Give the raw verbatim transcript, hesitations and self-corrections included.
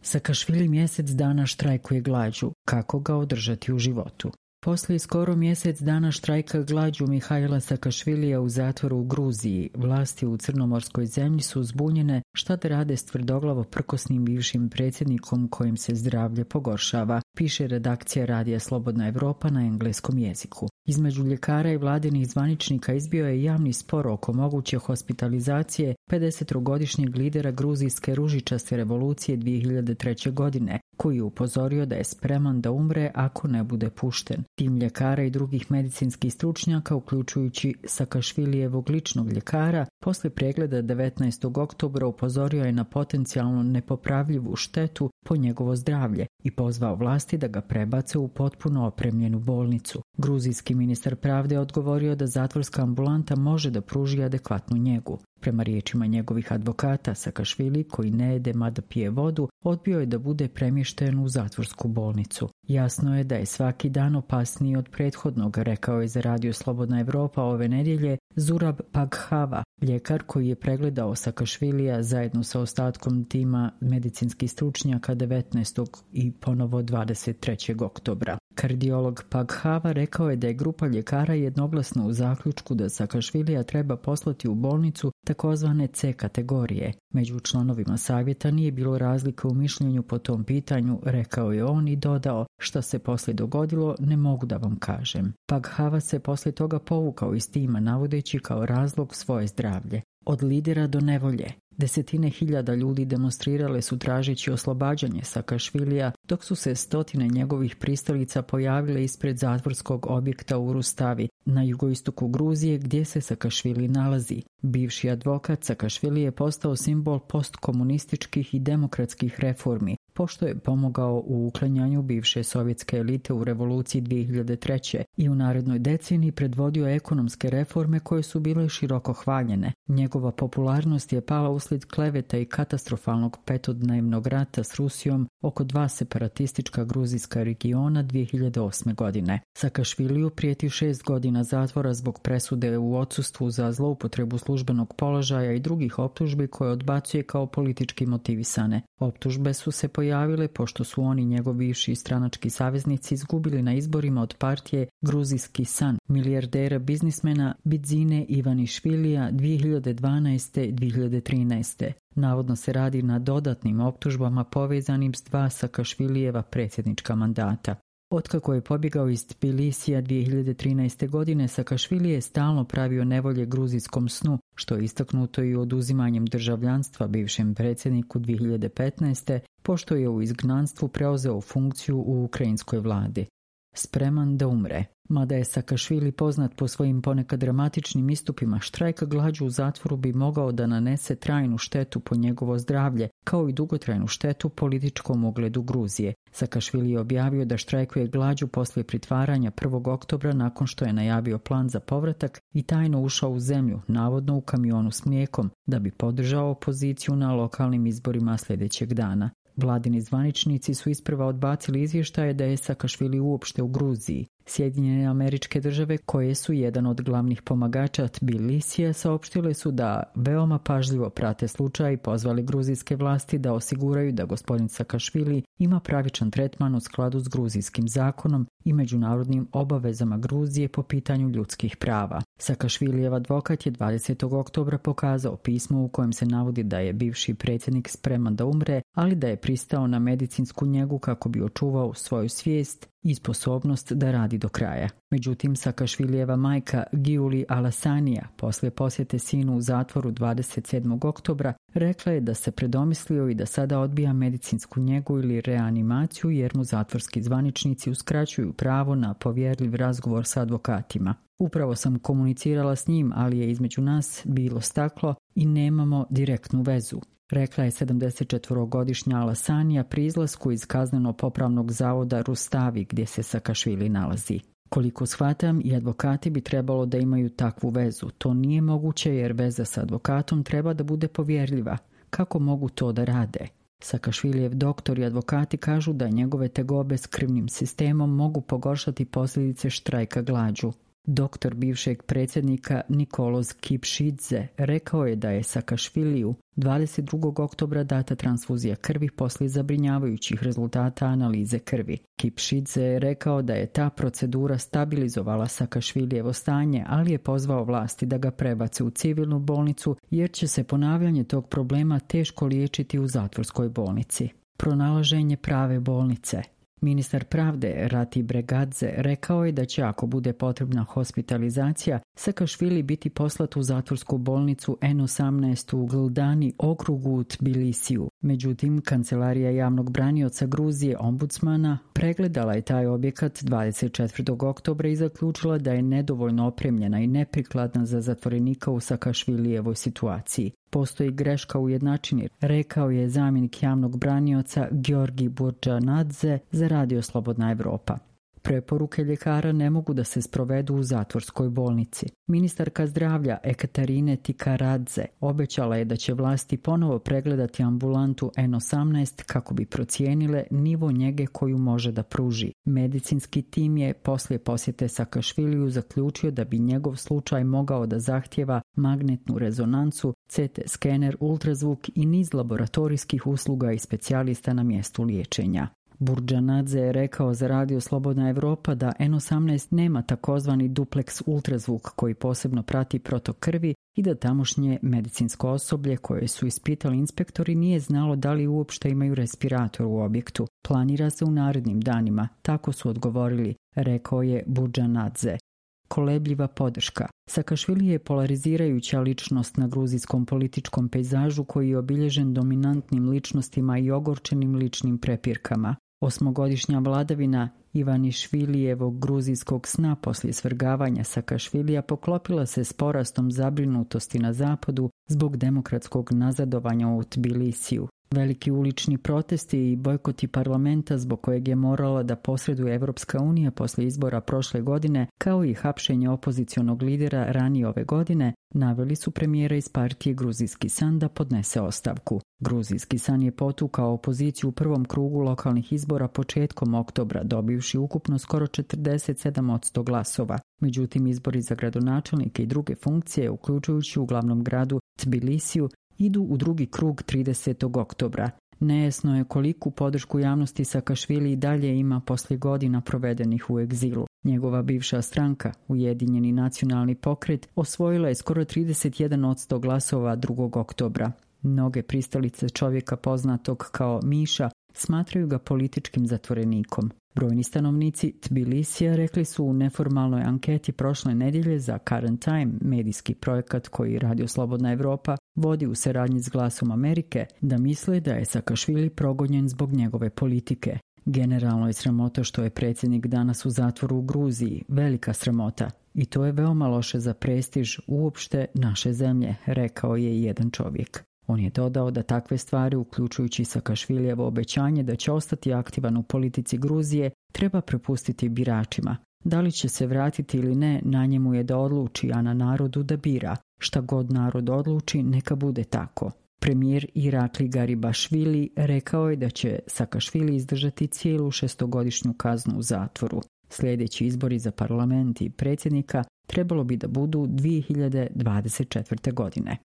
Sakašvili mjesec dana štrajkuje glađu. Kako ga održati u životu? Poslije skoro mjesec dana štrajka glađu Mihajla Sakašvilija u zatvoru u Gruziji, vlasti u crnomorskoj zemlji su zbunjene šta da rade s tvrdoglavo prkosnim bivšim predsjednikom kojim se zdravlje pogoršava, piše redakcija Radija Slobodna Evropa na engleskom jeziku. Između ljekara i vladinih zvaničnika izbio je javni spor oko moguće hospitalizacije pedesetogodišnjeg lidera gruzijske ružičaste revolucije dvije hiljade treće. godine, koji je upozorio da je spreman da umre ako ne bude pušten. Tim ljekara i drugih medicinskih stručnjaka, uključujući Sakašvilijevog ličnog ljekara, poslije pregleda devetnaestog oktobra upozorio je na potencijalno nepopravljivu štetu po njegovo zdravlje i pozvao vlasti da ga prebace u potpuno opremljenu bolnicu. Gruzijski ministar pravde odgovorio da zatvorska ambulanta može da pruži adekvatnu njegu. Prema riječima njegovih advokata, Sakašvili, koji ne jede mada pije vodu, odbio je da bude premješten u zatvorsku bolnicu. Jasno je da je svaki dan opasniji od prethodnog, rekao je za Radio Slobodna Evropa ove nedjelje Zurab Paghava, ljekar koji je pregledao Sakašvilija zajedno sa ostatkom tima medicinskih stručnjaka devetnaestog i ponovo dvadeset trećeg oktobra. Kardiolog Paghava rekao je da je grupa ljekara jednoglasno u zaključku da Sakašvilija treba poslati u bolnicu takozvane C kategorije. Među članovima savjeta nije bilo razlike u mišljenju po tom pitanju, rekao je on i dodao: šta se poslije dogodilo ne mogu da vam kažem. Paghava se poslije toga povukao iz tima navodeći kao razlog svoje zdravlje. Od lidera do nevolje. Desetine hiljada ljudi demonstrirale su tražeći oslobađanje Sakašvilija, dok su se stotine njegovih pristalica pojavile ispred zatvorskog objekta u Rustavi, na jugoistoku Gruzije gdje se Sakašvili nalazi. Bivši advokat Sakašvili je postao simbol postkomunističkih i demokratskih reformi, pošto je pomogao u uklanjanju bivše sovjetske elite u revoluciji dvije hiljade treće. i u narednoj deceniji predvodio ekonomske reforme koje su bile široko hvaljene. Njegova popularnost je pala uslijed kleveta i katastrofalnog petodnevnog rata s Rusijom oko dva separatistička gruzijska regiona dvije hiljade osme. godine. Sakašviliju prijeti šest godina zatvora zbog presude u odsustvu za zloupotrebu službenog položaja i drugih optužbi koje odbacuje kao politički motivisane. Optužbe su se pojavile pošto su oni njegovi bivši stranački saveznici izgubili na izborima od partije Gruzijski san, milijardera biznismena Bidzine Ivanišvilija dvije hiljade dvanaeste. i dvije hiljade trinaeste. Navodno se radi na dodatnim optužbama povezanim s dva Sakašvilijeva predsjednička mandata. Otkako je pobjegao iz Tbilisija dvije hiljade trinaeste. godine, Sakašvili je stalno pravio nevolje gruzijskom snu, što je istaknuto i oduzimanjem državljanstva bivšem predsjedniku dvije hiljade petnaeste. pošto je u izgnanstvu preuzeo funkciju u ukrajinskoj vladi. Spreman da umre. Mada je Sakašvili poznat po svojim ponekad dramatičnim istupima, štrajk glađu u zatvoru bi mogao da nanese trajnu štetu po njegovo zdravlje, kao i dugotrajnu štetu političkom ugledu Gruzije. Sakašvili je objavio da štrajkuje glađu poslije pritvaranja prvog oktobra nakon što je najavio plan za povratak i tajno ušao u zemlju, navodno u kamionu s mlijekom, da bi podržao opoziciju na lokalnim izborima sljedećeg dana. Vladini zvaničnici su isprva odbacili izvještaje da je Sakašvili uopšte u Gruziji. Sjedinjene Američke Države, koje su jedan od glavnih pomagača Tbilisija, saopštile su da veoma pažljivo prate slučaj i pozvali gruzijske vlasti da osiguraju da gospodin Sakašvili ima pravičan tretman u skladu s gruzijskim zakonom i međunarodnim obavezama Gruzije po pitanju ljudskih prava. Sakašvilijev advokat je dvadesetog oktobra pokazao pismo u kojem se navodi da je bivši predsjednik spreman da umre, ali da je pristao na medicinsku njegu kako bi očuvao svoju svijest i sposobnost da radi do kraja. Međutim, Sakašvilijeva majka Giuli Alasanija, poslije posjete sinu u zatvoru dvadeset sedmog oktobra, rekla je da se predomislio i da sada odbija medicinsku njegu ili reanimaciju jer mu zatvorski zvaničnici uskraćuju pravo na povjerljiv razgovor sa advokatima. Upravo sam komunicirala s njim, ali je između nas bilo staklo i nemamo direktnu vezu, rekla je sedamdesetčetvorogodišnja Alasanija pri izlasku iz kazneno-popravnog zavoda Rustavi gdje se Sakašvili nalazi. Koliko shvatam, i advokati bi trebalo da imaju takvu vezu. To nije moguće jer veza sa advokatom treba da bude povjerljiva. Kako mogu to da rade? Sakašvilijev doktor i advokati kažu da njegove tegobe s krvnim sistemom mogu pogoršati posljedice štrajka glađu. Doktor bivšeg predsjednika Nikolos Kipšidze rekao je da je Sakašviliju dvadeset drugog oktobra data transfuzija krvi poslije zabrinjavajućih rezultata analize krvi. Kipšidze je rekao da je ta procedura stabilizovala Sakašvilijevo stanje, ali je pozvao vlasti da ga prebace u civilnu bolnicu jer će se ponavljanje tog problema teško liječiti u zatvorskoj bolnici. Pronalaženje prave bolnice. Ministar pravde Rati Bregadze rekao je da će, ako bude potrebna hospitalizacija, Sakašvili biti poslat u zatvorsku bolnicu en osamnaest u Gldani okrugu u Tbilisiju. Međutim, Kancelarija javnog branioca Gruzije ombudsmana pregledala je taj objekat dvadeset četvrtog oktobra i zaključila da je nedovoljno opremljena i neprikladna za zatvorenika u Sakašvilijevoj situaciji. Postoji greška u jednačini, rekao je zamjenik javnog branioca Georgi Burdžanadze za Radio Slobodna Evropa. Preporuke ljekara ne mogu da se sprovedu u zatvorskoj bolnici. Ministarka zdravlja Ekaterine Tikaradze obećala je da će vlasti ponovo pregledati ambulantu en osamnaest kako bi procijenile nivo njege koju može da pruži. Medicinski tim je poslije posjete Sakašviliju zaključio da bi njegov slučaj mogao da zahtjeva magnetnu rezonancu, ce te skener, ultrazvuk i niz laboratorijskih usluga i specijalista na mjestu liječenja. Burdžanadze je rekao za Radio Slobodna Evropa da en osamnaest nema takozvani dupleks ultrazvuk koji posebno prati protok krvi i da tamošnje medicinsko osoblje koje su ispitali inspektori nije znalo da li uopšte imaju respirator u objektu. Planira se u narednim danima, tako su odgovorili, rekao je Burdžanadze. Kolebljiva podrška. Sakašvili je polarizirajuća ličnost na gruzijskom političkom pejzažu koji je obilježen dominantnim ličnostima i ogorčenim ličnim prepirkama. Osmogodišnja vladavina Ivanišvilijevog gruzijskog sna poslije svrgavanja Sakašvilija poklopila se s porastom zabrinutosti na zapadu zbog demokratskog nazadovanja u Tbilisiju. Veliki ulični protesti i bojkoti parlamenta zbog kojeg je morala da posreduje Evropska unija poslije izbora prošle godine, kao i hapšenje opozicionog lidera ranije ove godine, naveli su premijera iz partije Gruzijski san da podnese ostavku. Gruzijski san je potukao opoziciju u prvom krugu lokalnih izbora početkom oktobra, dobivši ukupno skoro četrdeset sedam posto glasova. Međutim, izbori za gradonačelnike i druge funkcije, uključujući u glavnom gradu Tbilisiju, idu u drugi krug tridesetog oktobra. Nejasno je koliku podršku javnosti Sakašvili i dalje ima poslije godina provedenih u egzilu. Njegova bivša stranka, Ujedinjeni nacionalni pokret, osvojila je skoro trideset jedan posto glasova drugog oktobra. Mnoge pristalice čovjeka poznatog kao Miša smatraju ga političkim zatvorenikom. Brojni stanovnici Tbilisija rekli su u neformalnoj anketi prošle nedjelje za Current Time, medijski projekat koji Radio Slobodna Evropa vodi u saradnji s Glasom Amerike, da misle da je Sakašvili progonjen zbog njegove politike. Generalno je sramota što je predsjednik danas u zatvoru u Gruziji, velika sramota. I to je veoma loše za prestiž uopšte naše zemlje, rekao je jedan čovjek. On je dodao da takve stvari, uključujući Sakašvilijevo obećanje da će ostati aktivan u politici Gruzije, treba prepustiti biračima. Da li će se vratiti ili ne, na njemu je da odluči, a na narodu da bira. Šta god narod odluči, neka bude tako. Premijer Irakli Garibašvili rekao je da će Sakašvili izdržati cijelu šestogodišnju kaznu u zatvoru. Sljedeći izbori za parlament i predsjednika trebalo bi da budu dvije hiljade dvadeset četvrte godine.